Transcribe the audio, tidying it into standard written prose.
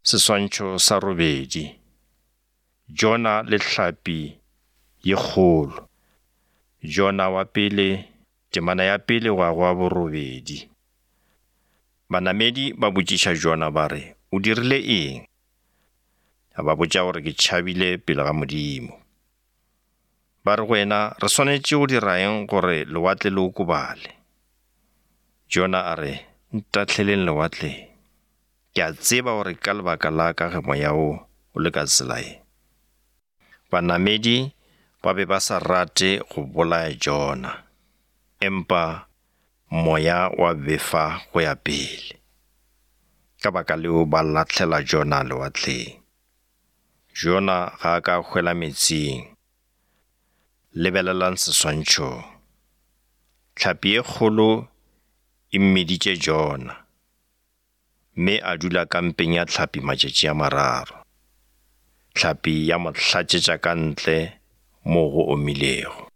Seswantšho sa robedi. Jona le hlapi ye kgolo. Jona wa pele, temana ya pele go ya go wa borobedi. Banamedi ba botšiša Jona ba re, O dirile eng? A ba botša gore ke tšhabile pele ga Modimo. Ba re go yena, Re swanetše go dira eng gore lewatle le okobale? Jona a re, Ntahleleng lewatleng. Ke a tseba gore ka lebaka la ka ge moya wo o le ka tsela ye. Banamedi ba be ba sa rate go bolaya Jona, empa moya wa befa go ya pele. Ka baka leo ba lahlela Jona lewatleng. Jona ga a ka a hwela meetseng. Lebelelang seswantšhong. Hlapi e kgolo e mmeditše Jona. Mme a dula kampeng ya hlapi matšatši a mararo. Hlapi ya mo hlatšetša ka ntle moo go omilego.